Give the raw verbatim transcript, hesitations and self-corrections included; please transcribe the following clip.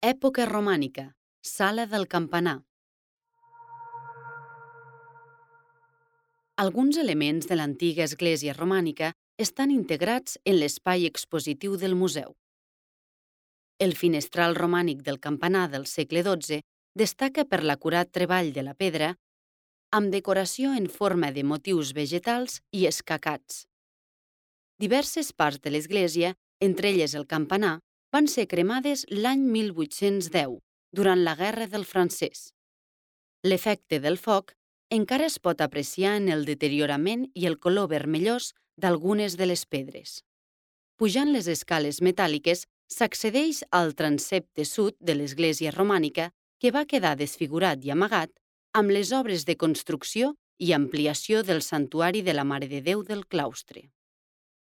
Època romànica, sala del campanar. Alguns elements de l'antiga església romànica estan integrats en l'espai expositiu del museu. El finestral romànic del campanar del segle dotze destaca per l'acurat treball de la pedra, amb decoració en forma de motius vegetals i escacats. Diverses parts de l'església, entre elles el campanar, van ser cremades l'any mil vuit-cents deu, durant la Guerra del Francès. L'efecte del foc encara es pot apreciar en el deteriorament i el color vermellós d'algunes de les pedres. Pujant les escales metàl·liques, s'accedeix al transsepte sud de l'església romànica, que va quedar desfigurat i amagat amb les obres de construcció i ampliació del santuari de la Mare de Déu del claustre.